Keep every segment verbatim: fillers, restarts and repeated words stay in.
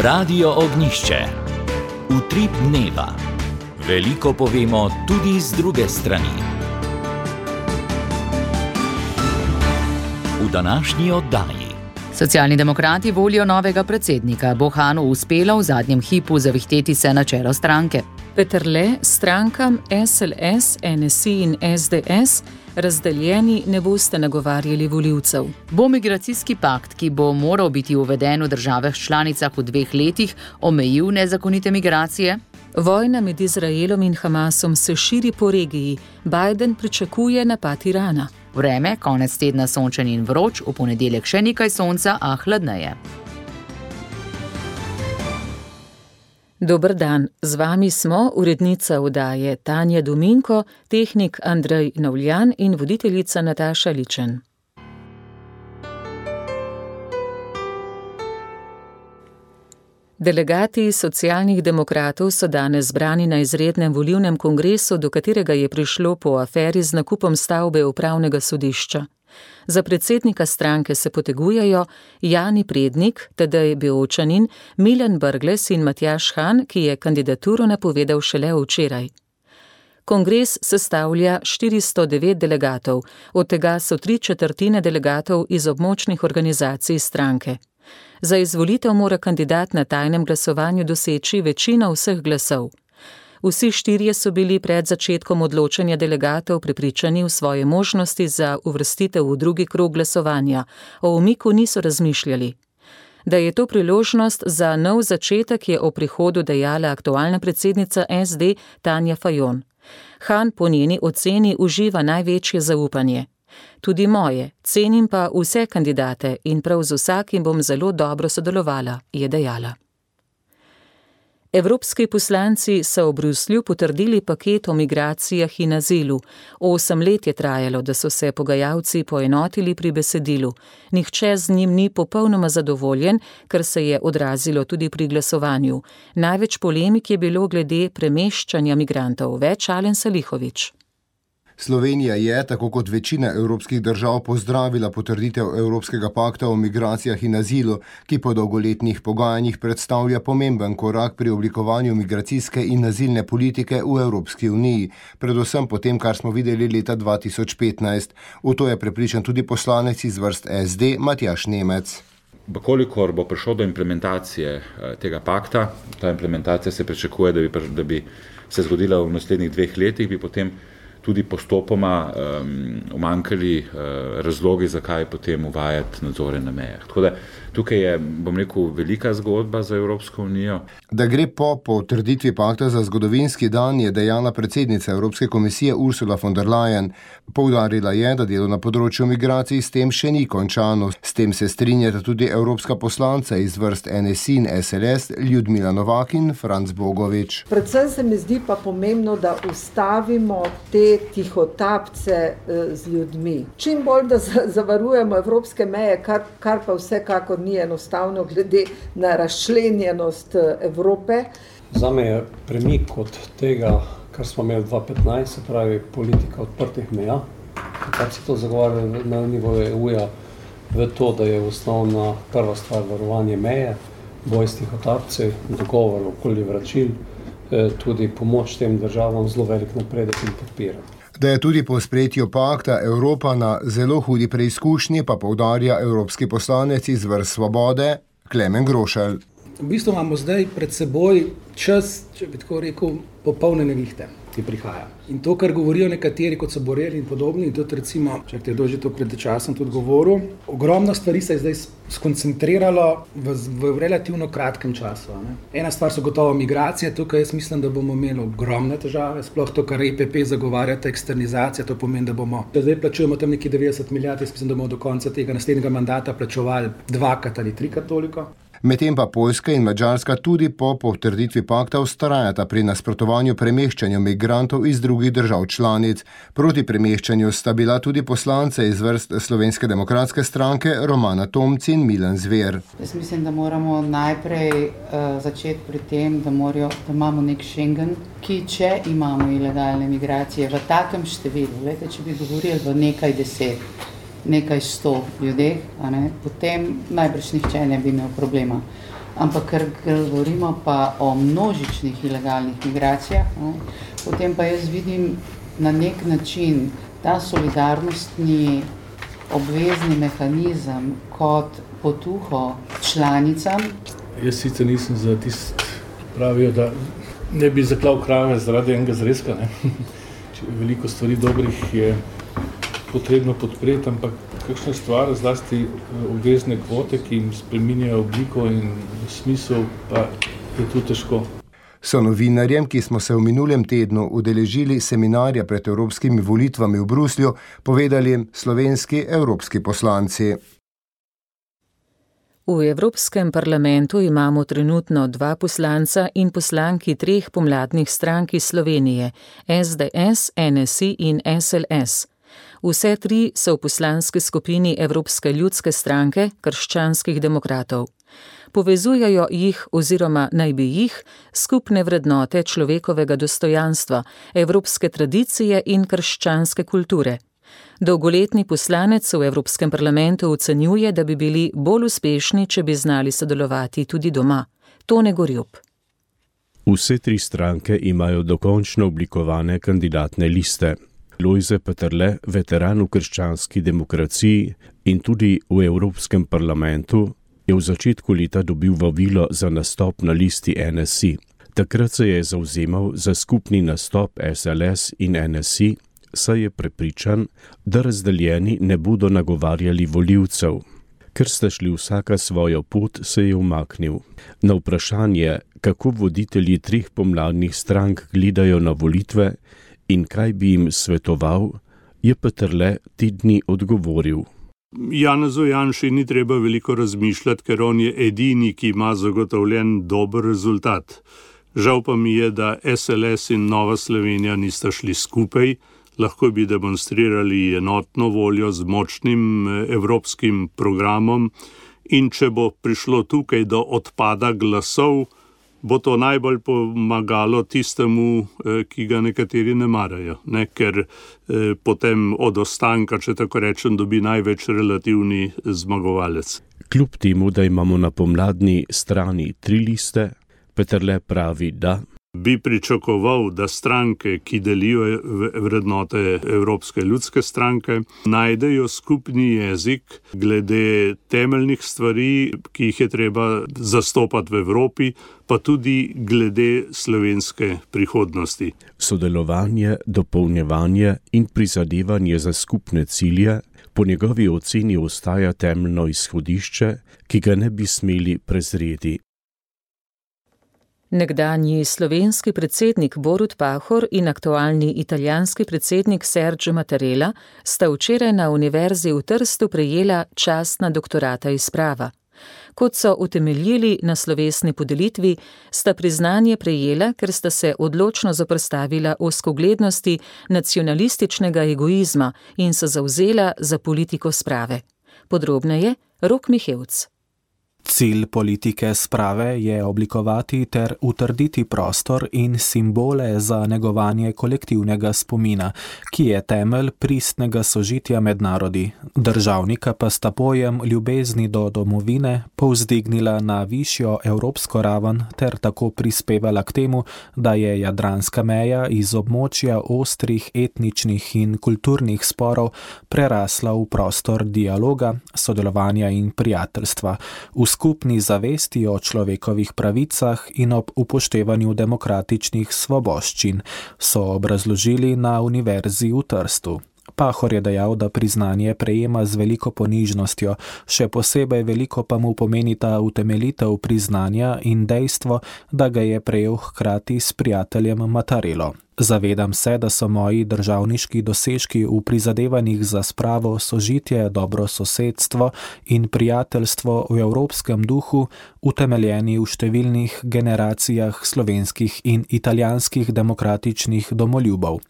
Radio Ognjišče. Utrip dneva. Veliko povemo tudi z druge strani. V današnji oddaji. Socialni demokrati volijo novega predsednika. Bo Hanu uspelo v zadnjem hipu zavihteti se na čelo stranke. Peterle strankam S L S, N S I in S D S razdeljeni ne boste nagovarjali volivcev. Bo migracijski pakt, ki bo moral biti uveden v državah članicah v dveh letih, omejil nezakonite migracije? Vojna med Izraelom in Hamasom se širi po regiji. Biden pričakuje napad Irana. Vreme, konec tedna sončen in vroč, v ponedeljek še nekaj sonca, a hladneje. Dober dan, z vami smo urednica oddaje Tanja Dominko, tehnik Andrej Navljan in voditeljica Nataša Ličen. Delegati socialnih demokratov so danes zbrani na izrednem volilnem kongresu, do katerega je prišlo po aferi z nakupom stavbe upravnega sodišča. Za predsednika stranke se potegujejo Jani Prednik, tedaj Beočanin, Milan Brglez in Matjaž Han, ki je kandidaturo napovedal šele včeraj. Kongres sestavlja štiristo devet delegatov, od tega so tri četrtine delegatov iz območnih organizacij stranke. Za izvolitev mora kandidat na tajnem glasovanju doseči večino vseh glasov. Vsi štirje so bili pred začetkom odločanja delegatov prepričani v svoje možnosti za uvrstitev v drugi krog glasovanja. O umiku niso razmišljali. Da je to priložnost za nov začetek, je o prihodu dejala aktualna predsednica S D Tanja Fajon. Han po njeni oceni uživa največje zaupanje. Tudi moje, cenim pa vse kandidate in prav z vsakim bom zelo dobro sodelovala, je dejala. Evropski poslanci so v Bruslju potrdili paket o migracijah in azilu. Osem let je trajalo, da so se pogajalci poenotili pri besedilu. Nihče z njim ni popolnoma zadovoljen, kar se je odrazilo tudi pri glasovanju. Največ polemik je bilo glede premeščanja migrantov. Več Alen Salihović. Slovenija je, tako kot večina evropskih držav, pozdravila potrditev Evropskega pakta o migracijah in azilu, ki po dolgoletnih pogajanjih predstavlja pomemben korak pri oblikovanju migracijske in azilne politike v Evropski uniji, predvsem po tem, kar smo videli leta dva tisoč petnajst. V to je prepričan tudi poslanec iz vrst S D Matjaž Nemec. Kolikor bo prišlo do implementacije tega pakta, ta implementacija se pričakuje, da bi, da bi se zgodila v naslednjih dveh letih, bi potem tudi postopoma um, umanjkali uh, razlogi, zakaj potem uvajati nadzore na mejah. Tako da tukaj je, bom rekel, velika zgodba za Evropsko unijo. Da gre po potrditvi pakta za zgodovinski dan, je dejala predsednica Evropske komisije Ursula von der Leyen. Poudarila je, da delo na področju migracij s tem še ni končano. S tem se strinjata tudi evropska poslanca iz vrst N S I in S L S, Ljudmila Novak in Franc Bogovič. Predvsem se mi zdi pa pomembno, da ustavimo te tihotapce z ljudmi. Čim bolj, da zavarujemo evropske meje, kar, kar pa vsekakor ni enostavno glede na razčlenjenost Evrope. Zame je premik od tega, kar smo imeli dva tisoč petnajst, se pravi politika odprtih meja, kar se to zagovarja na nivoju E U-ja, v to, da je osnovna prva stvar varovanje meje, boj s tihotapci, dogovor okoli vračil, tudi pomoč tem državam zelo velik napredek in podpira. Da je tudi po sprejetju pakta Evropa na zelo hudi preizkušnji, pa poudarja evropski poslanec iz vrst Svobode Klemen Grošelj. V bistvu imamo zdaj pred seboj čas, če bi tako rekel, popolne nevihte, ki prihaja. In to, kar govorijo nekateri, kot so Borrell in podobni, in tudi recimo, če te je že to pred časom tudi govoril, ogromno stvari se je zdaj skoncentriralo v, v relativno kratkem času. Ne? Ena stvar so gotovo migracije, tukaj jaz mislim, da bomo imeli ogromne težave, sploh to, kar E P P zagovarjate, eksternizacija, to pomeni, da bomo, da zdaj plačujemo tam neki devetdeset milijard, jaz mislim, da bomo do konca tega naslednjega mandata plačevali dvakrat ali trikrat toliko. Medtem pa Poljska in Madžarska tudi po potrditvi pakta vztrajata pri nasprotovanju premeščanju migrantov iz drugih držav članic. Proti premeščanju sta bila tudi poslance iz vrst Slovenske demokratske stranke Romana Tomc in Milan Zver. Jaz mislim, da moramo najprej uh, začeti pri tem, da, morajo, da imamo nek Schengen, ki če imamo ilegalne migracije v takem številu, lete, če bi govorili v nekaj deset, nekaj sto ljudeh, a ne, potem najbrž nihče ne bi imel problema. ampak ker govorimo pa o množičnih ilegalnih migracijah, ne, potem pa jaz vidim na nek način ta solidarnostni obvezni mehanizem kot potuho članicam. Jaz sicer nisem za tist, pravijo, da ne bi zaklal krave zaradi enega zrezka, ne. Veliko stvari dobrih je potrebno podpreti, ampak kakšna stvar, zlasti obvezne kvote, ki jim spreminjajo obliko in smisel, pa je tu težko. So novinarjem, ki smo se v minulem tednu udeležili seminarja pred evropskimi volitvami v Bruslju, povedali slovenski evropski poslanci. V Evropskem parlamentu imamo trenutno dva poslanca in poslanki treh pomladnih strank iz Slovenije, S D S, N S I in S L S. Vse tri so v poslanski skupini Evropske ljudske stranke krščanskih demokratov. Povezujejo jih oziroma naj bi jih skupne vrednote človekovega dostojanstva, evropske tradicije in krščanske kulture. Dolgoletni poslanec v Evropskem parlamentu ocenjuje, da bi bili bolj uspešni, če bi znali sodelovati tudi doma. Tone Gorjup. Vse tri stranke imajo dokončno oblikovane kandidatne liste. Lojze Peterle, veteran v krščanski demokraciji in tudi v Evropskem parlamentu, je v začetku leta dobil vabilo za nastop na listi N S I. Takrat se je zavzemal za skupni nastop S L S in N S I, saj je prepričan, da razdeljeni ne bodo nagovarjali volivcev. Ker sta šli vsaka svojo pot, se je umaknil. Na vprašanje, kako voditelji treh pomladnih strank gledajo na volitve in kaj bi jim svetoval, je Peterle te dni odgovoril. Janezu Janši ni treba veliko razmišljati, ker on je edini, ki ima zagotovljen dober rezultat. Žal pa mi je, da S L S in Nova Slovenija nista šli skupaj, lahko bi demonstrirali enotno voljo z močnim evropskim programom in če bo prišlo tukaj do odpada glasov, bo to najbolj pomagalo tistemu, ki ga nekateri ne marajo, ne? Ker eh, potem od ostanka, če tako rečem, dobi največ relativni zmagovalec. Kljub temu, da imamo na pomladni strani tri liste, Peterle pravi, da bi pričakoval, da stranke, ki delijo vrednote Evropske ljudske stranke, najdejo skupni jezik glede temeljnih stvari, ki jih je treba zastopati v Evropi, pa tudi glede slovenske prihodnosti. Sodelovanje, dopolnjevanje in prizadevanje za skupne cilje po njegovi oceni ostaja temeljno izhodišče, ki ga ne bi smeli prezreti. Nekdanji slovenski predsednik Borut Pahor in aktualni italijanski predsednik Sergio Mattarella sta včeraj na Univerzi v Trstu prejela častna doktorata iz prava. Kot so utemeljili na slovesni podelitvi, sta priznanje prejela, ker sta se odločno zoperstavila ozkoglednosti nacionalističnega egoizma in se zavzela za politiko sprave. Podrobneje Rok Mihevc. Cilj politike sprave je oblikovati ter utrditi prostor in simbole za negovanje kolektivnega spomina, ki je temelj pristnega sožitja med narodi. Državnika pa sta pojem ljubezni do domovine povzdignila na višjo evropsko raven ter tako prispevala k temu, da je jadranska meja iz območja ostrih etničnih in kulturnih sporov prerasla v prostor dialoga, sodelovanja in prijateljstva. V skupni zavesti o človekovih pravicah in ob upoštevanju demokratičnih svoboščin, so obrazložili na Univerzi v Trstu. Pahor je dejal, da priznanje prejema z veliko ponižnostjo, še posebej veliko pa mu pomeni ta utemeljitev priznanja in dejstvo, da ga je prejel hkrati s prijateljem Mattarello. Zavedam se, da so moji državniški dosežki v prizadevanjih za spravo, sožitje, dobro sosedstvo in prijateljstvo v evropskem duhu utemeljeni v številnih generacijah slovenskih in italijanskih demokratičnih domoljubov.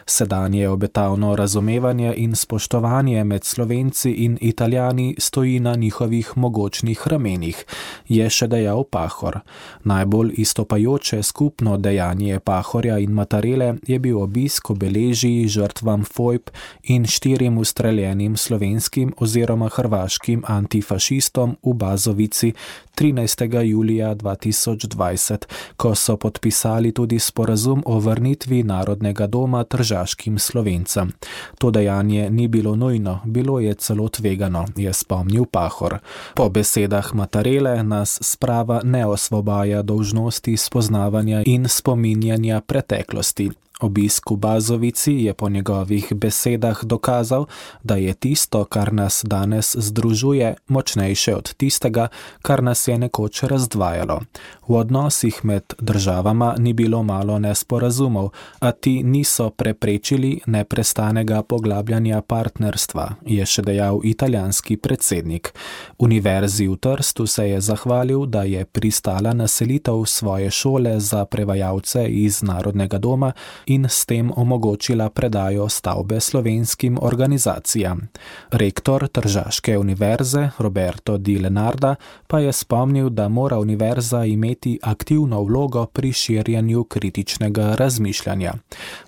Sedanje obetavno razumevanje in spoštovanje med Slovenci in Italijani stoji na njihovih mogočnih ramenih, je še dejal Pahor. Najbolj izstopajoče skupno dejanje Pahorja in Mattarella Matarele je bil obisk obeležij žrtvam fojb in štirim ustreljenim slovenskim oziroma hrvaškim antifašistom v Bazovici trinajstega julija dva tisoč dvajset, ko so podpisali tudi sporazum o vrnitvi Narodnega doma tržaškim Slovencem. To dejanje ni bilo nujno, bilo je celo tvegano, je spomnil Pahor. Po besedah Matarele nas sprava ne osvobaja dolžnosti spoznavanja in spominjanja preteklosti. Obisk v Bazovici je po njegovih besedah dokazal, da je tisto, kar nas danes združuje, močnejše od tistega, kar nas je nekoč razdvajalo. V odnosih med državama ni bilo malo nesporazumov, a ti niso preprečili neprestanega poglabljanja partnerstva, je še dejal italijanski predsednik. Univerzi v Trstu se je zahvalil, da je pristala na selitev svoje šole za prevajalce iz Narodnega doma in s tem omogočila predajo stavbe slovenskim organizacijam. Rektor Tržaške univerze Roberto Di Lenarda pa je spomnil, da mora univerza imeti aktivno vlogo pri širjenju kritičnega razmišljanja.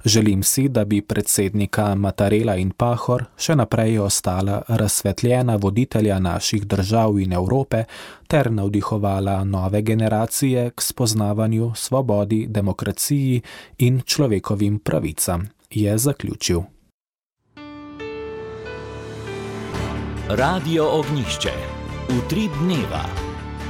Želim si, da bi predsednika Matarela in Pahor še naprej ostala razsvetljena voditelja naših držav in Evrope ter navdihovala nove generacije k spoznavanju, svobodi, demokraciji in človekovim pravicam, je zaključil. Radio Ognjišče. Utrip dneva.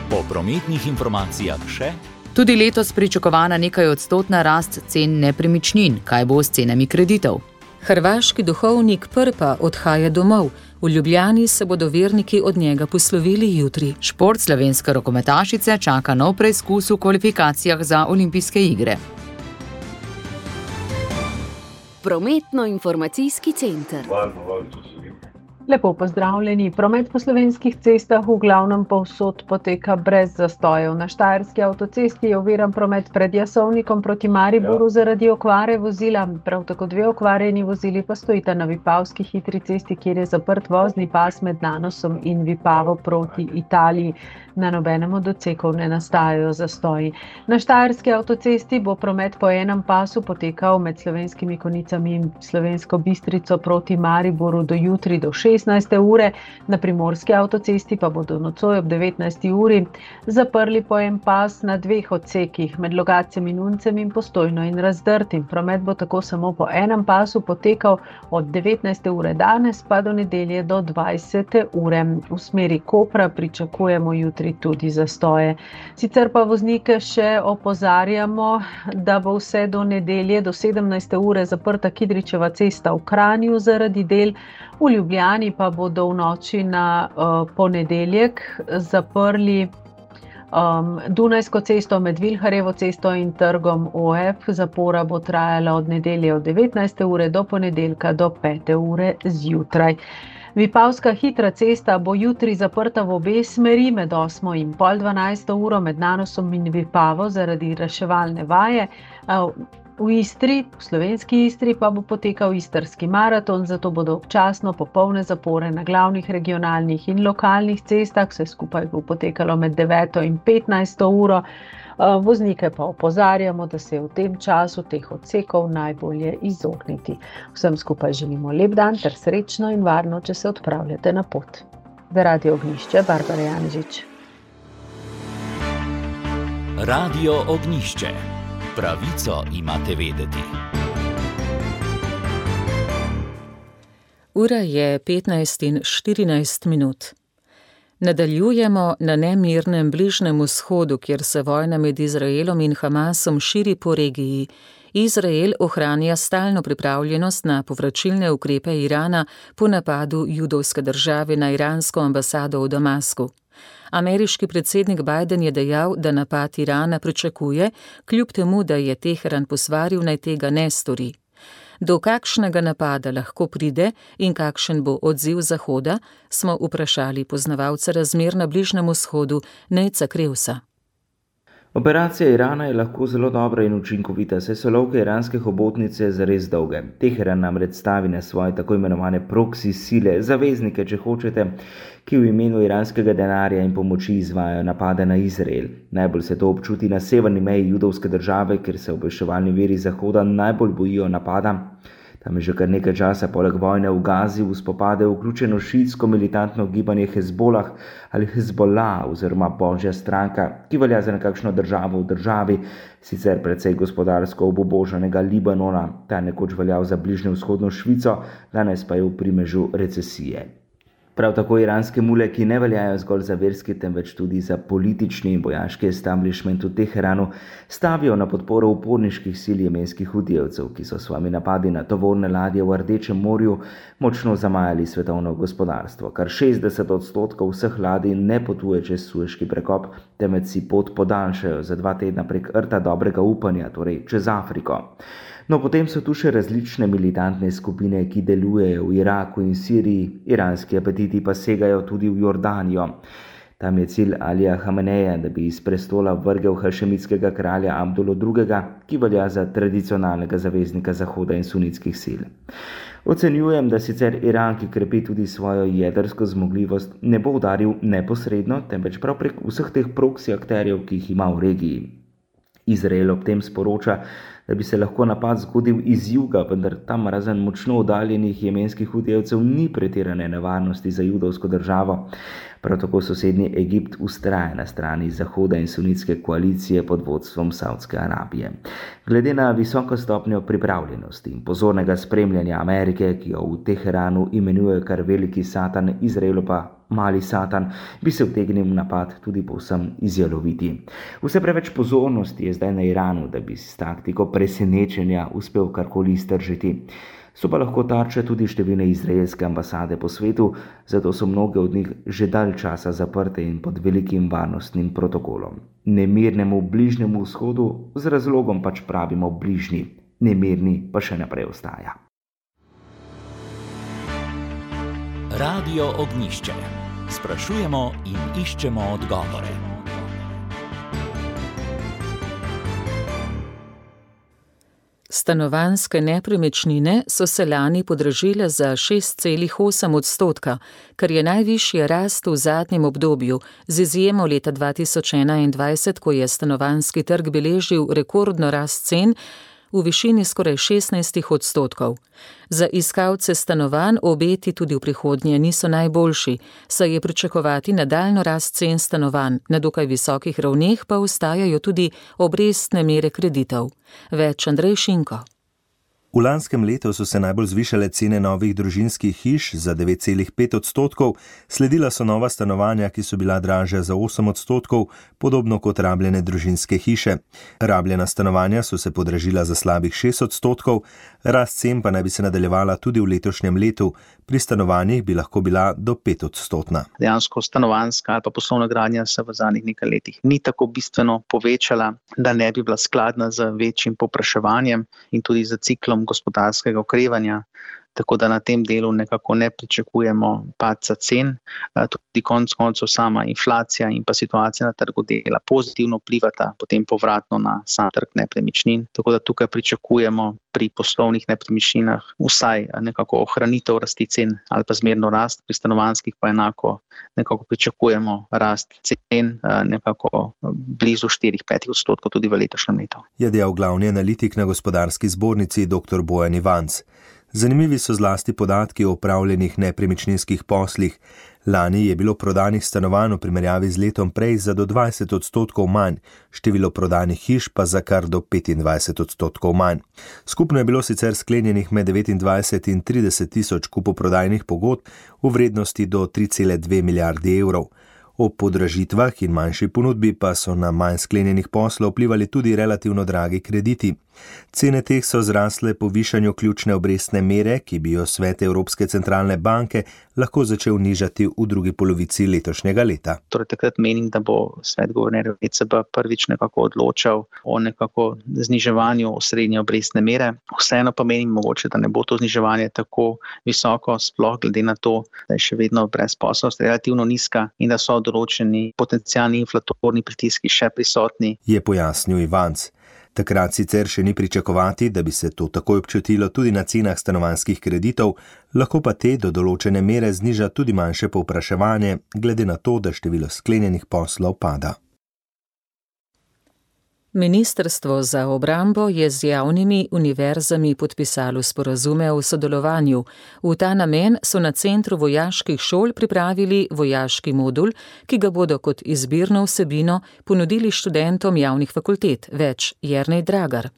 Po prometnih informacijah še. Tudi letos pričakovana nekaj odstotna rast cen nepremičnin. Kaj bo s cenami kreditov? Hrvaški duhovnik Prpa odhaja domov. V Ljubljani se bodo verniki od njega poslovili jutri. Šport slovenske rokometašice čaka nov preizkus v kvalifikacijah za olimpijske igre. Prometno-informacijski center. Lepo pozdravljeni. Promet po slovenskih cestah v glavnem povsod poteka brez zastojev. Na Štajerski avtocesti je oviran promet pred Jasovnikom proti Mariboru ja. zaradi okvare vozila. Prav tako dve okvarjeni vozili pa stojita na Vipavski hitri cesti, kjer je zaprt vozni pas med Nanosom in Vipavo proti Italiji. Na nobenem od odsekov ne nastajajo zastoji. Na Štajerski avtocesti bo promet po enem pasu potekal med Slovenskimi Konicami in Slovensko Bistrico proti Mariboru do jutri do šestnajste ure, na Primorski avtocesti pa bodo nocoj ob devetnajsti uri zaprli po en pas na dveh odsekih med Logatcem in Uncem in Postojno in Razdrtim. Promet bo tako samo po enem pasu potekal od devetnajste ure danes pa do nedelje do dvajsete ure. V smeri Kopra pričakujemo jutri tudi zastoje. Sicer pa voznike še opozarjamo, da bo vse do nedelje do sedemnajste ure zaprta Kidričeva cesta v Kranju zaradi del, v Ljubljani pa bodo v noči na uh, ponedeljek zaprli um, Dunajsko cesto med Vilharjevo cesto in trgom O F. Zapora bo trajala od nedelje od devetnajste ure do ponedeljka do pete ure zjutraj. Vipavska hitra cesta bo jutri zaprta v obe smeri med osmo in pol dvanajsto uro med Nanosom in Vipavo zaradi reševalne vaje. V Istri, v slovenski Istri pa bo potekal istrski maraton, zato bodo občasno popolne zapore na glavnih regionalnih in lokalnih cestah. Vse skupaj bo potekalo med deveto in petnajsto uro. Voznike pa opozarjamo, da se je v tem času teh odsekov najbolje izogniti. Vsem skupaj želimo lep dan ter srečno in varno, če se odpravljate na pot. Za Radio Ognjišče, Barbara Janežič. Radio Ognjišče. Pravico imate vedeti. Ura je petnajst in štirinajst minut. Nadaljujemo na nemirnem Bližnjem vzhodu, kjer se vojna med Izraelom in Hamasom širi po regiji. Izrael ohranja stalno pripravljenost na povračilne ukrepe Irana po napadu judovske države na iransko ambasado v Damasku. Ameriški predsednik Biden je dejal, da napad Irana pričakuje, kljub temu, da je Teheran posvaril, naj tega ne stori. Do kakšnega napada lahko pride in kakšen bo odziv Zahoda, smo vprašali poznavalca razmer na Bližnjem vzhodu Nejca Krevsa. Operacija Irana je lahko zelo dobra in učinkovita, saj so lovke iranske hobotnice zares dolge. Teheran namreč stavi na svoje tako imenovane proksi sile, zaveznike, če hočete, ki v imenu iranskega denarja in pomoči izvajajo napade na Izrael. Najbolj se to občuti na severni meji judovske države, kjer se obveščevalni viri Zahoda najbolj bojijo napada. Tam je že kar nekaj časa poleg vojne v Gazi v spopade vključeno šiitsko militantno gibanje Hezbolah ali Hezbollah oziroma Božja stranka, ki velja za nekakšno državo v državi, sicer precej gospodarsko obubožanega Libanona, ta nekoč veljal za bližnjo vzhodno Švico, danes pa je v primežu recesije. Prav tako iranske mule, ki ne veljajo zgolj za verski, temveč tudi za politični in vojaški establishment v Teheranu, stavijo na podporo uporniških sil jemenskih hutijevcev, ki so s svojimi napadi na tovorne ladje v Rdečem morju močno zamajali svetovno gospodarstvo. Kar šestdeset odstotkov vseh ladij ne potuje čez Sueški prekop, temveč si pot podaljšajo za dva tedna prek rta dobrega upanja, torej čez Afriko. No, potem so tu še različne militantne skupine, ki delujejo v Iraku in Siriji, iranski apetiti pa segajo tudi v Jordanijo. Tam je cilj Alija Hameneja, da bi iz prestola vrgel hašemitskega kralja Abdulo drugega, ki velja za tradicionalnega zaveznika Zahoda in sunitskih sil. Ocenjujem, da sicer Iran, ki krepi tudi svojo jedrsko zmogljivost, ne bo udaril neposredno, temveč prav prek vseh teh proksi akterjev, ki jih ima v regiji. Izrael ob tem sporoča, da bi se lahko napad zgodil iz juga, vendar tam razen močno oddaljenih jemenskih hutijevcev ni pretirane nevarnosti za judovsko državo. Prav tako sosednji Egipt vztraja na strani Zahoda in sunitske koalicije pod vodstvom Saudske Arabije. Glede na visoko stopnjo pripravljenosti in pozornega spremljanja Amerike, ki jo v Teheranu imenuje kar veliki satan, Izraelu pa mali satan, bi se utegnil napad tudi povsem izjaloviti. Vse preveč pozornosti je zdaj na Iranu, da bi s taktiko presenečenja uspel karkoli iztržiti. So pa lahko tarče tudi številne izraelske ambasade po svetu, zato so mnoge od njih že dalj časa zaprte in pod velikim varnostnim protokolom. Nemirnemu bližnjemu vzhodu z razlogom pač pravimo bližnji, nemirni pa še naprej ostaja. Radio Ognjišče. Sprašujemo in iščemo odgovore. Stanovanjske nepremičnine so se lani podražile za šest celih osem odstotka, kar je najvišja rast v zadnjem obdobju, z izjemo leta dva tisoč enaindvajset, ko je stanovanjski trg beležil rekordno rast cen v višini skoraj šestnajst odstotkov. Za iskalce stanovanj obeti tudi v prihodnje niso najboljši, saj je pričakovati nadaljnjo rast cen stanovanj, na dokaj visokih ravneh pa ostajajo tudi obrestne mere kreditov. Več Andrej Šinko. V lanskem letu so se najbolj zvišale cene novih družinskih hiš za devet celih pet odstotkov, sledila so nova stanovanja, ki so bila dražja za osem odstotkov, podobno kot rabljene družinske hiše. Rabljena stanovanja so se podražila za slabih šest odstotkov, rast cen pa naj bi se nadaljevala tudi v letošnjem letu, pri stanovanjih bi lahko bila do pet odstotna. Dejansko stanovanjska ali pa poslovna gradnja se v zadnjih nekaj letih ni tako bistveno povečala, da ne bi bila skladna z večjim povpraševanjem in tudi z ciklom gospodarskega okrevanja, tako da na tem delu nekako ne pričakujemo padca cen. Tudi konec koncev sama inflacija in pa situacija na trgu dela pozitivno vplivata potem povratno na sam trg nepremičnin, tako da tukaj pričakujemo pri poslovnih nepremičninah vsaj nekako ohranitev rasti cen ali pa zmerno rast, pri stanovanjskih pa enako nekako pričakujemo rast cen nekako blizu štiri do pet odstotkov tudi v letošnjem letu. Je dejal glavni analitik na Gospodarski zbornici dr. Bojan Ivanc. Zanimivi so zlasti podatki o opravljenih nepremičninskih poslih. Lani je bilo prodanih stanovanj v primerjavi z letom prej za do dvajset odstotkov manj, število prodanih hiš pa za kar do petindvajset odstotkov manj. Skupno je bilo sicer sklenjenih med devetindvajset in trideset tisoč kupoprodajnih pogodb v vrednosti do tri cele dve milijardi evrov. Ob podražitvah in manjši ponudbi pa so na manj sklenjenih poslov vplivali tudi relativno dragi krediti. Cene teh so zrasle po višanju ključne obrestne mere, ki bi jo svet Evropske centralne banke lahko začel nižati v drugi polovici letošnjega leta. Torej, takrat menim, da bo svet guvernerjev E C B prvič nekako odločal o nekako zniževanju osrednje obrestne mere. Vseeno pa menim mogoče, da ne bo to zniževanje tako visoko, sploh glede na to, da je še vedno brezposelnost relativno nizka in da so določeni potencialni inflatorni pritiski še prisotni. Je pojasnil Ivanc. Takrat sicer še ni pričakovati, da bi se to takoj občutilo tudi na cenah stanovanjskih kreditov, lahko pa te do določene mere zniža tudi manjše povpraševanje, glede na to, da število sklenjenih poslov pada. Ministrstvo za obrambo je z javnimi univerzami podpisalo sporazume o sodelovanju. V ta namen so na Centru vojaških šol pripravili vojaški modul, ki ga bodo kot izbirno vsebino ponudili študentom javnih fakultet. Več Jernej Dragar.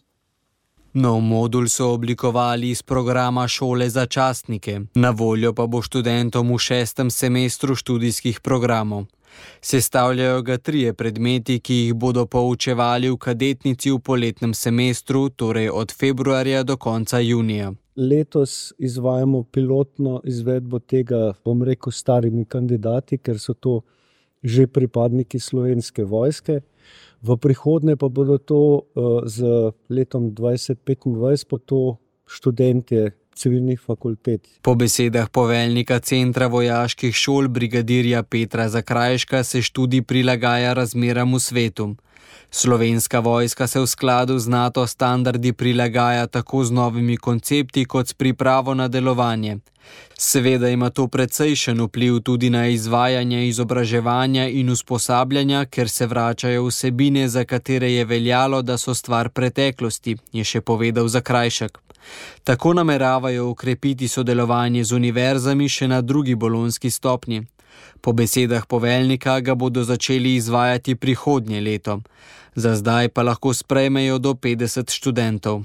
Nov modul so oblikovali iz programa šole za častnike. Na voljo pa bo študentom v šestem semestru študijskih programov. Sestavljajo ga trije predmeti, ki jih bodo poučevali v kadetnici v poletnem semestru, torej od februarja do konca junija. Letos izvajamo pilotno izvedbo tega, bom rekel, starimi kandidati, ker so to že pripadniki Slovenske vojske. V prihodnje pa bodo to z letom dvajset petindvajset pa to študentje civilnih fakultet. Po besedah poveljnika Centra vojaških šol brigadirja Petra Zakrajška se študij prilagaja razmeram v svetu. Slovenska vojska se v skladu z NATO standardi prilagaja tako z novimi koncepti kot s pripravo na delovanje. Seveda ima to precejšen vpliv tudi na izvajanje izobraževanja in usposabljanja, ker se vračajo vsebine, za katere je veljalo, da so stvar preteklosti, je še povedal Zakrajšek. Tako nameravajo ukrepiti sodelovanje z univerzami še na drugi bolonjski stopnji. Po besedah poveljnika ga bodo začeli izvajati prihodnje leto. Za zdaj pa lahko sprejmejo do petdeset študentov.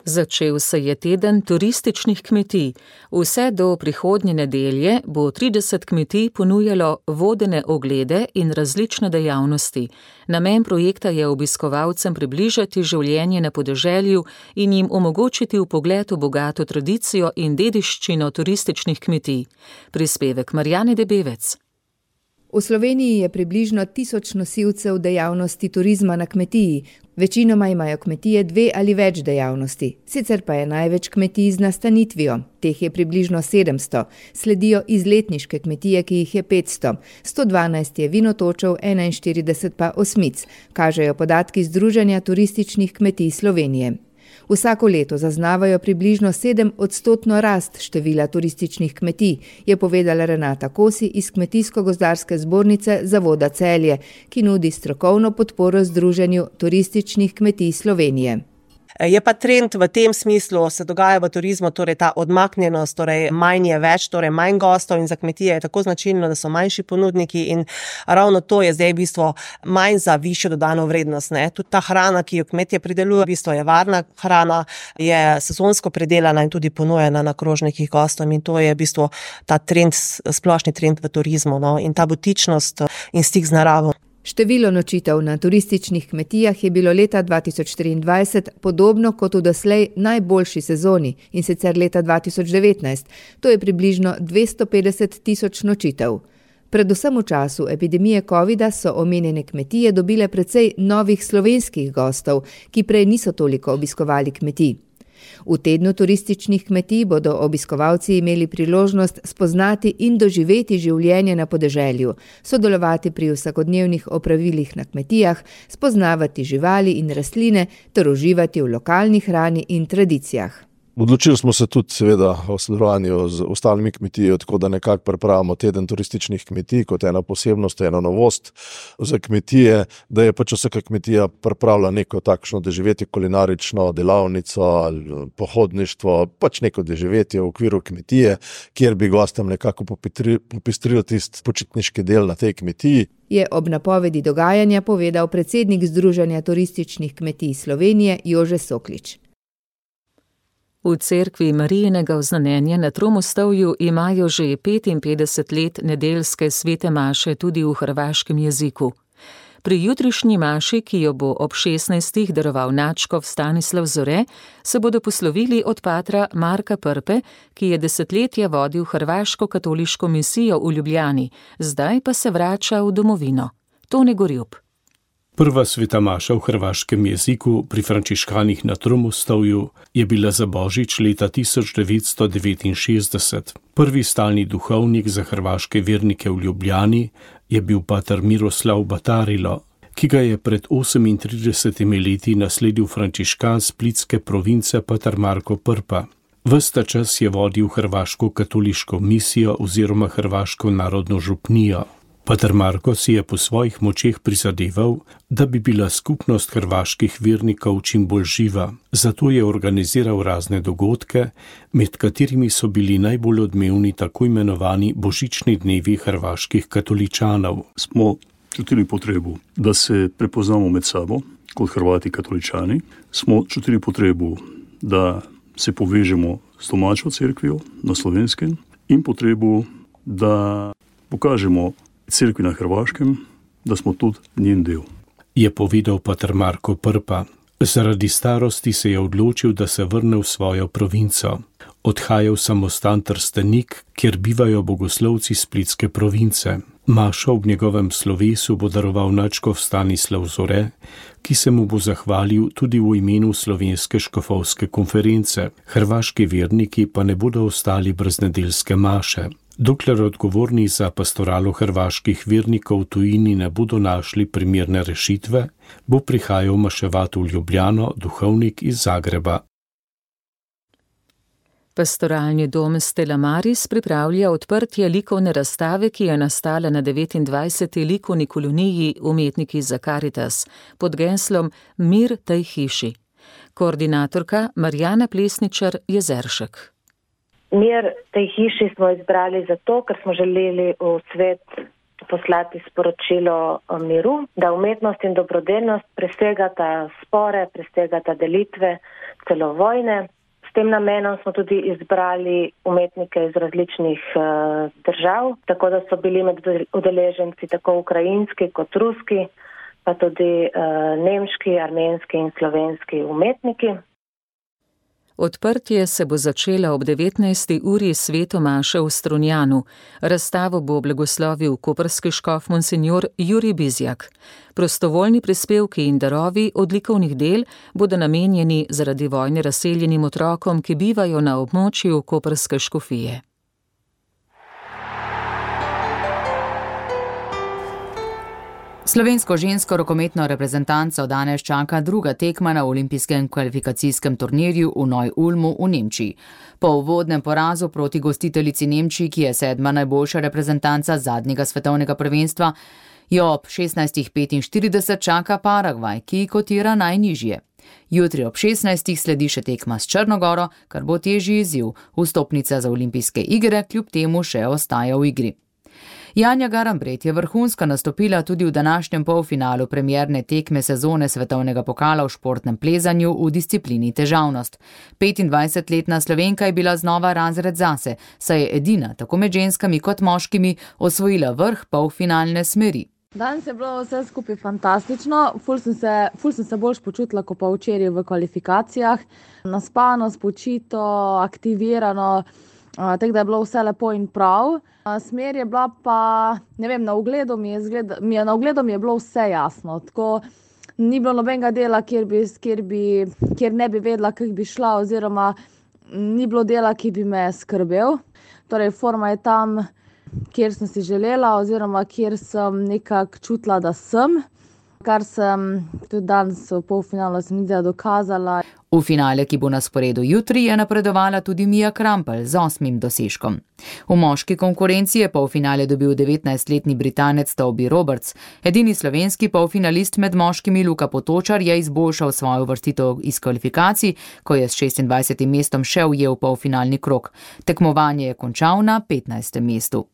Začel se je teden turističnih kmetij. Vse do prihodnje nedelje bo trideset kmetij ponujalo vodene oglede in različne dejavnosti. Namen projekta je obiskovalcem približati življenje na podeželju in jim omogočiti vpogled v bogato tradicijo in dediščino turističnih kmetij. Prispevek Marjane Debevec. V Sloveniji je približno tisoč nosilcev dejavnosti turizma na kmetiji. Večinoma imajo kmetije dve ali več dejavnosti. Sicer pa je največ kmetij z nastanitvijo. Teh je približno sedemsto. Sledijo izletniške kmetije, ki jih je petsto. sto dvanajst je vinotočev, enainštirideset pa osmic, kažejo podatki Združenja turističnih kmetij Slovenije. Vsako leto zaznavajo približno sedem odstotno rast števila turističnih kmetij, je povedala Renata Kosi iz Kmetijsko-gozdarske zbornice Zavoda Celje, ki nudi strokovno podporo Združenju turističnih kmetij Slovenije. Je pa trend v tem smislu, se dogaja v turizmu, torej ta odmaknjenost, torej manj je več, torej manj gostov in za kmetije je tako značilno, da so manjši ponudniki in ravno to je zdaj v bistvu manj za višjo dodano vrednost. Ne? Tudi ta hrana, ki jo kmetje pridelujejo, v bistvu je varna hrana, je sezonsko predelana in tudi ponujena na krožnikih gostom in to je v bistvu ta trend, splošni trend v turizmu, no? In ta butičnost in stik z naravo. Število nočitev na turističnih kmetijah je bilo leta dva tisoč triindvajset podobno kot v doslej najboljši sezoni, in sicer leta dva tisoč devetnajst. To je približno dvesto petdeset tisoč nočitev. Predvsem v času epidemije covida so omenjene kmetije dobile precej novih slovenskih gostov, ki prej niso toliko obiskovali kmetij. V tednu turističnih kmetij bodo obiskovalci imeli priložnost spoznati in doživeti življenje na podeželju, sodelovati pri vsakodnevnih opravilih na kmetijah, spoznavati živali in rastline ter uživati v lokalni hrani in tradicijah. Odločili smo se tudi seveda o sodelovanju z ostalimi kmetijami, tako da nekako pripravimo teden turističnih kmetij kot ena posebnost, ena novost za kmetije, da je pač vsaka kmetija pripravila neko takšno doživetje, kulinarično delavnico ali pohodništvo, pač neko doživetje v okviru kmetije, kjer bi gostom nekako popestrili tisti počitniški del na tej kmetiji. Je ob napovedi dogajanja povedal predsednik Združenja turističnih kmetij Slovenije Jože Soklič. V cerkvi Marijinega oznanjenja na Tromostovju imajo že petinpetdeset let nedeljske svete maše tudi v hrvaškem jeziku. Pri jutrišnji maši, ki jo bo ob šestnajstih daroval nadškof Stanislav Zore, se bodo poslovili od patra Marka Prpe, ki je desetletja vodil hrvaško katoliško misijo v Ljubljani, zdaj pa se vrača v domovino. Tone Gorjup. Prva sveta maša v hrvaškem jeziku pri frančiškanih na Tromostovju je bila za Božič leta tisoč devetsto devetinšestdeset. Prvi stalni duhovnik za hrvaške vernike v Ljubljani je bil pater Miroslav Batarilo, ki ga je pred osemintridesetimi leti nasledil frančiškan splitske province pater Marko Prpa. Ves ta čas je vodil hrvaško katoliško misijo oziroma hrvaško narodno župnijo. Pater Marko si je po svojih močeh prizadeval, da bi bila skupnost hrvaških vernikov čim bolj živa. Zato je organiziral razne dogodke, med katerimi so bili najbolj odmevni tako imenovani božični dnevi hrvaških katoličanov. Smo čutili potrebu, da se prepoznamo med sabo kot Hrvati katoličani. Smo čutili potrebu, da se povežemo s domačo cerkvijo na Slovenskem in potrebu, da pokažemo cerkvi na Hrvaškem, da smo tudi njen del. Je povedal pater Marko Prpa. Zaradi starosti se je odločil, da se vrne v svojo provinco. Odhaja v samostan Trstenik, kjer bivajo bogoslovci splitske province. Mašo ob njegovem slovesu bo daroval nadškof Stanislav Zore, ki se mu bo zahvalil tudi v imenu Slovenske škofovske konference. Hrvaški verniki pa ne bodo ostali brez nedeljske maše. Dokler odgovorni za pastoralo hrvaških vernikov v tujini ne bodo našli primerne rešitve, bo prihajal maševat v Ljubljano duhovnik iz Zagreba. Pastoralni dom Stella Maris pripravlja odprtje likovne razstave, ki je nastala na devetindvajseti likovni koloniji Umetniki za Karitas pod geslom Mir tej hiši. Koordinatorka Marjana Plesničar-Jezeršek. Mir tej hiši smo izbrali zato, ker smo želeli v svet poslati sporočilo o miru, da umetnost in dobrodelnost presegata spore, presegata delitve, celo vojne. S tem namenom smo tudi izbrali umetnike iz različnih uh, držav, tako da so bili med udeleženci tako ukrajinski kot ruski, pa tudi uh, nemški, armenski in slovenski umetniki. Odprtje se bo začela ob devetnajsti uri sveto maše v Strunjanu. Razstavo bo blagoslovil koprski škof monsinjor Jurij Bizjak. Prostovoljni prispevki in darovi od likovnih del bodo namenjeni zaradi vojne razseljenim otrokom, ki bivajo na območju koprske škofije. Slovensko žensko rokometno reprezentanco danes čaka druga tekma na olimpijskem kvalifikacijskem turnirju v Neu-Ulmu v Nemčiji. Po uvodnem porazu proti gostiteljici Nemčiji, ki je sedma najboljša reprezentanca zadnjega svetovnega prvenstva, jo ob šestnajstih petinštirideset čaka Paragvaj, ki kotira najnižje. Jutri ob šestnajstih sledi še tekma s Črnogoro, kar bo težji izziv. Vstopnica za olimpijske igre kljub temu še ostaja v igri. Janja Garambret je vrhunsko nastopila tudi v današnjem polfinalu premierne tekme sezone svetovnega pokala v športnem plezanju v disciplini težavnost. petindvajsetletna Slovenka je bila znova razred zase, saj je edina, tako med ženskami kot moškimi, osvojila vrh polfinalne smeri. Danes je bilo vse skupaj fantastično, ful sem se, ful sem se boljš počutila kot pa včeraj v kvalifikacijah. Naspano, spočito, aktivirano, tako da je bilo vse lepo in prav. Smer je bila pa, ne vem, na ogledu mi je, zgleda, mi je, na ogledu mi je bilo vse jasno. Tako ni bilo nobenega dela, kjer, bi, kjer, bi, kjer ne bi vedela, kako bi šla, oziroma ni bilo dela, ki bi me skrbel. Torej, forma je tam, kjer sem si želela, oziroma kjer sem nekako čutila, da sem, kar sem tudi danes v polfinalu sem videla dokazala. V finale, ki bo na sporedu jutri, je napredovala tudi Mija Krampelj z osmim dosežkom. V moški konkurenci je polfinale dobil devetnajstletni Britanec Toby Roberts. Edini slovenski polfinalist med moškimi Luka Potočar je izboljšal svojo uvrstitev iz kvalifikacij, ko je s šestindvajsetim mestom še ujel polfinalni krog. Tekmovanje je končal na petnajstem mestu.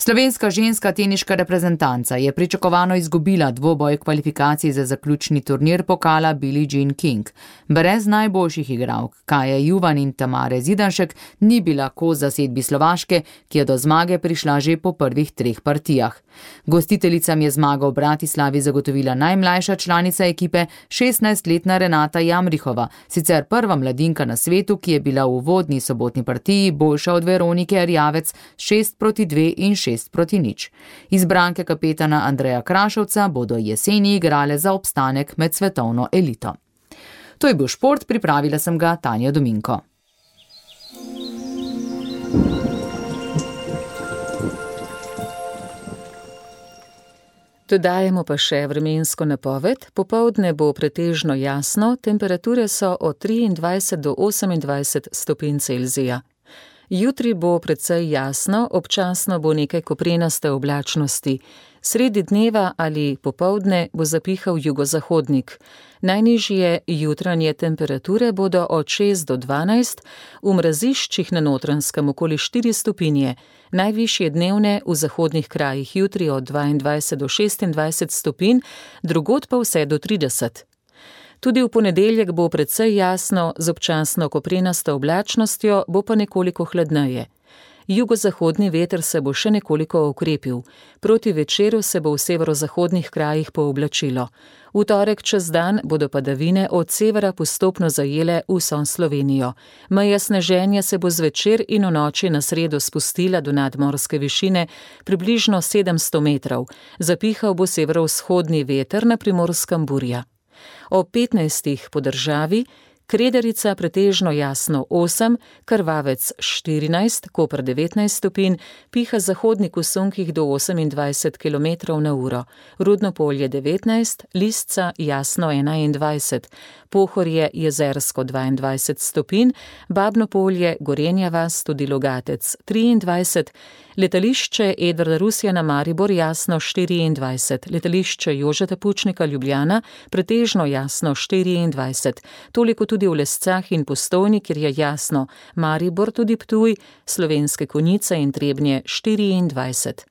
Slovenska ženska teniška reprezentanca je pričakovano izgubila dvoboj kvalifikacij za zaključni turnir pokala Billie Jean King. Brez najboljših igralk, Kaje Juvan in Tamare Zidanšek, ni bila kos zasedbi Slovaške, ki je do zmage prišla že po prvih treh partijah. Gostiteljicam je zmago v Bratislavi zagotovila najmlajša članica ekipe, šestnajstletna Renata Jamrihova, sicer prva mladinka na svetu, ki je bila v uvodni sobotni partiji boljša od Veronike Erjavec šest proti dve in šest proti nič. Izbranke kapetana Andreja Krašovca bodo jeseni igrale za obstanek med svetovno elito. To je bil šport, pripravila sem ga Tanja Dominko. Dodajemo pa še vremensko napoved. Popoldne bo pretežno jasno, temperature so od triindvajset do osemindvajset stopinj Celzija. Jutri bo precej jasno, občasno bo nekaj koprenaste oblačnosti. Sredi dneva ali popoldne bo zapihal jugozahodnik. Najnižje jutranje temperature bodo od šest do dvanajst, v mraziščih na Notranjskem okoli štiri stopinje, najvišje dnevne v zahodnih krajih jutri od dvaindvajset do šestindvajset stopinj, drugod pa vse do trideset. Tudi v ponedeljek bo precej jasno, z občasno koprenasto oblačnostjo, bo pa nekoliko hladneje. Jugozahodni veter se bo še nekoliko okrepil. Proti večeru se bo v severozahodnih krajih pooblačilo. V torek čez dan bodo padavine od severa postopno zajele vso Slovenijo. Meja sneženja se bo zvečer in v noči na sredo spustila do nadmorske višine približno sedemsto metrov. Zapihal bo severovzhodni veter, na Primorskem burja. Ob petnajstih po državi, Kredarica pretežno jasno osem, Krvavec štirinajst, Koper devetnajst stopinj, piha zahodnik v sunkih do osemindvajset kilometrov na uro, Rudno Polje devetnajst, Lisca jasno enaindvajset, Pohorje jezersko dvaindvajset stopinj, Babno Polje, Gorenja vas, tudi Logatec triindvajset, letališče Edvarda Rusjana Maribor jasno štiriindvajset, letališče Jožeta Pučnika Ljubljana pretežno jasno štiriindvajset, toliko tudi v Lescah in Postojni, kjer je jasno, Maribor tudi Ptuj, Slovenske Konjice in Trebnje štiriindvajset.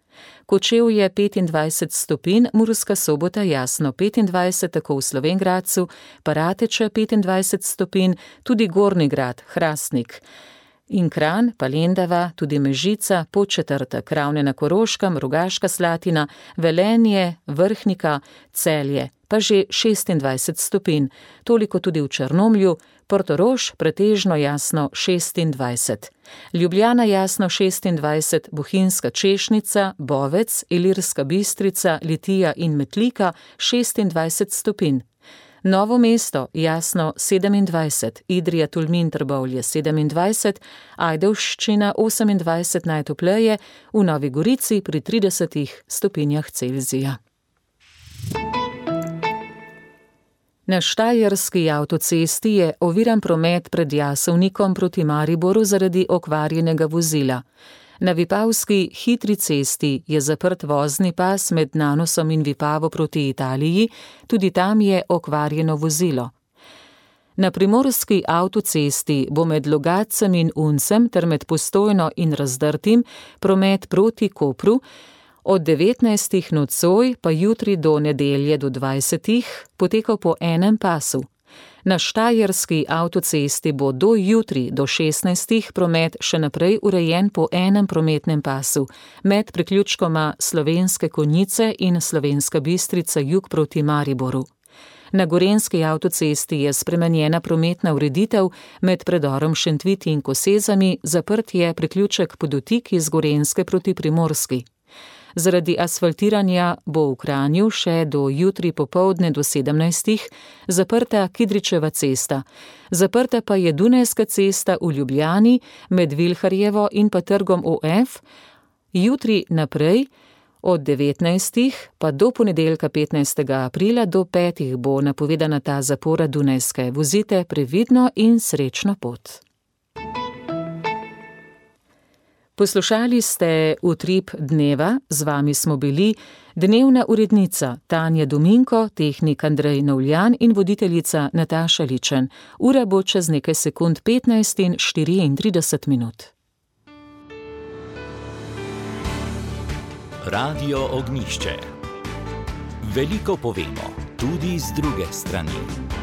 Kočevje petindvajset stopinj, Murska Sobota jasno petindvajset, tako v Slovenj Gradcu, Parateče petindvajset stopinj, tudi Gornji Grad, Hrastnik. In Kranj, pa Lendava, tudi Mežica, Podčetrtek, Ravne na Koroškem, Rogaška Slatina, Velenje, Vrhnika, Celje, pa že šestindvajset stopinj, toliko tudi v Črnomlju, Portorož pretežno jasno šestindvajset. Ljubljana jasno šestindvajset, Bohinjska Češnica, Bovec, Ilirska Bistrica, Litija in Metlika šestindvajset stopinj. Novo mesto jasno sedemindvajset, Idrija, Tolmin, Trbovlje sedemindvajset, Ajdovščina osemindvajset najtopleje, v Novi Gorici pri tridesetih stopinjah Celzija. Na štajerski avtocesti je oviran promet pred Jasovnikom proti Mariboru zaradi okvarjenega vozila. Na Vipavski hitri cesti je zaprt vozni pas med Nanosom in Vipavo proti Italiji, tudi tam je okvarjeno vozilo. Na primorski avtocesti bo med Logatcem in Uncem ter med Postojno in Razdrtim promet proti Kopru, od devetnajstih nocoj pa jutri do nedelje do dvajsetih potekal po enem pasu. Na štajerski avtocesti bo do jutri do šestnajstih promet še naprej urejen po enem prometnem pasu, med priključkoma Slovenske Konjice in Slovenska Bistrica jug proti Mariboru. Na gorenjski avtocesti je spremenjena prometna ureditev med predorom Šentviti in Kosezami, zaprt je priključek Podotik iz Gorenjske proti Primorski. Zaradi asfaltiranja bo v Kranju še do jutri popoldne do sedemnajstih zaprta Kidričeva cesta. Zaprta pa je Dunajska cesta v Ljubljani med Vilharjevo in pa Trgom O F. Jutri naprej od devetnajstih pa do ponedeljka petnajstega aprila do petih bo napovedana ta zapora Dunajske. Vozite previdno in srečno pot. Poslušali ste Utrip dneva, z vami smo bili dnevna urednica Tanja Dominko, tehnik Andrej Novljan in voditeljica Nataša Ličen. Ura bo čez nekaj sekund petnajst in štiriintrideset minut. Radio Ognjišče. Veliko povemo tudi z druge strani.